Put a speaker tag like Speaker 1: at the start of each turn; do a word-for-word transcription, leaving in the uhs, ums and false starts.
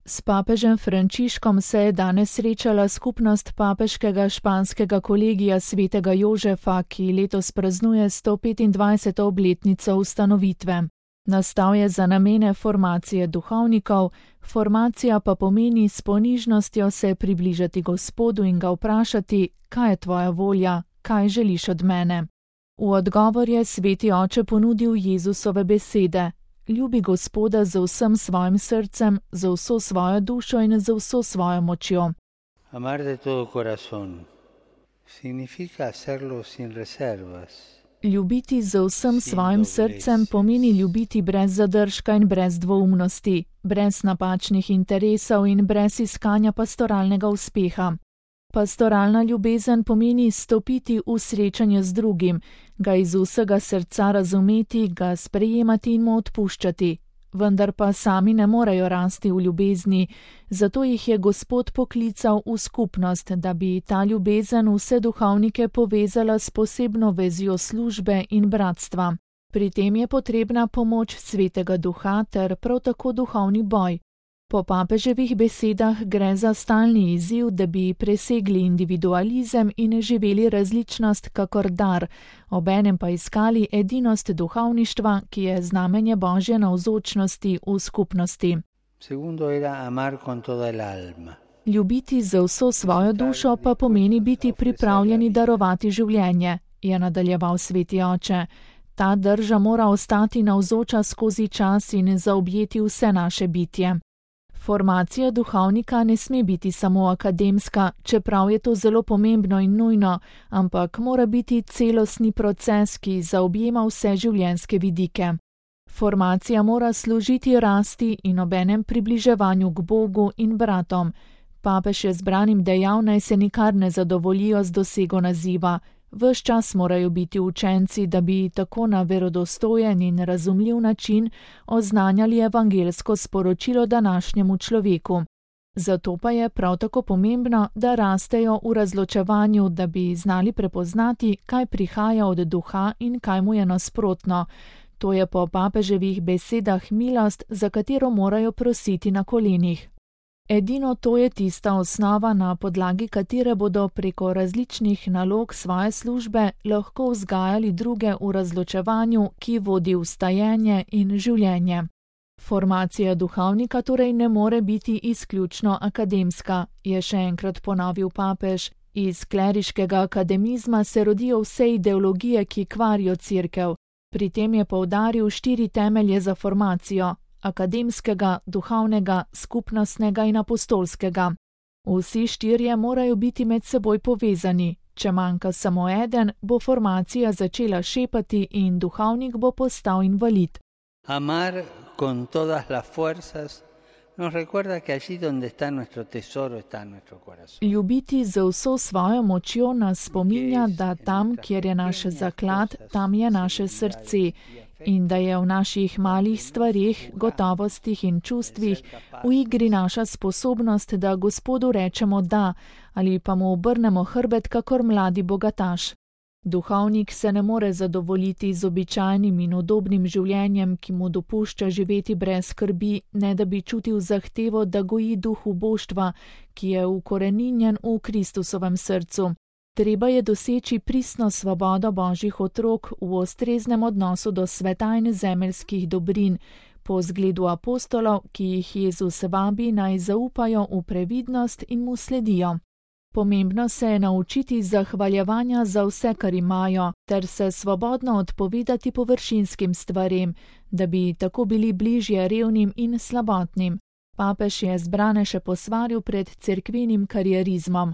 Speaker 1: S papežem Frančiškom se je danes srečala skupnost papeškega španskega kolegija svetega Jožefa, ki letos praznuje sto petindvajseto obletnico ustanovitve. Nastal je za namene formacije duhovnikov, formacija pa pomeni s ponižnostjo se približati Gospodu in ga vprašati, kaj je tvoja volja, kaj želiš od mene. V odgovor je sveti oče ponudil Jezusove besede: ljubi Gospoda z vsem svojim srcem, z vso svojo dušo in z vso svojo močjo.
Speaker 2: Amar de todo corazón significa hacerlo sin reservas.
Speaker 1: Ljubiti z vsem svojim srcem pomeni ljubiti brez zadržka in brez dvoumnosti, brez napačnih interesov in brez iskanja pastoralnega uspeha. Pastoralna ljubezen pomeni stopiti v srečanje z drugim, ga iz vsega srca razumeti, ga sprejemati in mu odpuščati. Vendar pa sami ne morejo rasti v ljubezni, zato jih je Gospod poklical v skupnost, da bi ta ljubezen vse duhovnike povezala s posebno vezjo službe in bratstva. Pri tem je potrebna pomoč Svetega Duha ter prav tako duhovni boj. Po papeževih besedah gre za stalni izziv, da bi presegli individualizem in živeli različnost kakor dar, obenem pa iskali edinost duhovništva, ki je znamenje Božje navzočnosti v skupnosti.
Speaker 2: Segundo era amar con toda el alma.
Speaker 1: Ljubiti z vso svojo dušo pa pomeni biti pripravljeni darovati življenje, je nadaljeval sveti oče. Ta drža mora ostati navzoča skozi čas in zaobjeti vse naše bitje. Formacija duhovnika ne sme biti samo akademska, čeprav je to zelo pomembno in nujno, ampak mora biti celostni proces, ki zaobjema vse življenjske vidike. Formacija mora služiti rasti in obenem približevanju k Bogu in bratom. Papež je zbranim dejal, naj se nikar ne zadovoljijo z dosego naziva. Ves čas morajo biti učenci, da bi tako na verodostojen in razumljiv način oznanjali evangelsko sporočilo današnjemu človeku. Zato pa je prav tako pomembno, da rastejo v razločevanju, da bi znali prepoznati, kaj prihaja od duha in kaj mu je nasprotno. To je po papeževih besedah milost, za katero morajo prositi na kolenih. Edino to je tista osnova, na podlagi katere bodo preko različnih nalog svoje službe lahko vzgajali druge v razločevanju, ki vodi v stajenje in življenje. Formacija duhovnika torej ne more biti izključno akademska, je še enkrat ponovil papež. Iz kleriškega akademizma se rodijo vse ideologije, ki kvarijo cerkev. Pri tem je poudaril štiri temelje za formacijo: akademskega, duhovnega, skupnostnega in apostolskega. Vsi štirje morajo biti med seboj povezani. Če manjka samo eden, bo formacija začela šepati in duhovnik bo postal invalid.
Speaker 2: Amar con todas las fuerzas nos recuerda que allí donde está nuestro tesoro está nuestro corazón.
Speaker 1: Ljubiti z vso svojo močjo nas spominja, da tam, kjer je naš zaklad, tam je naše srce. In da je v naših malih stvarih, gotovostih in čustvih v igri naša sposobnost, da Gospodu rečemo da ali pa mu obrnemo hrbet kakor mladi bogataš. Duhovnik se ne more zadovoljiti z običajnim in udobnim življenjem, ki mu dopušča živeti brez skrbi, ne da bi čutil zahtevo, da goji duh uboštva, ki je ukoreninjen v Kristusovem srcu. Treba je doseči pristno svobodo Božjih otrok v ustreznem odnosu do sveta in zemeljskih dobrin, po zgledu apostolov, ki jih Jezus vabi naj zaupajo v previdnost in mu sledijo. Pomembno se je naučiti zahvaljevanja za vse, kar imajo, ter se svobodno odpovedati površinskim stvarem, da bi tako bili bližje revnim in slabotnim. Papež je zbrane še posvaril pred cerkvenim karierizmom.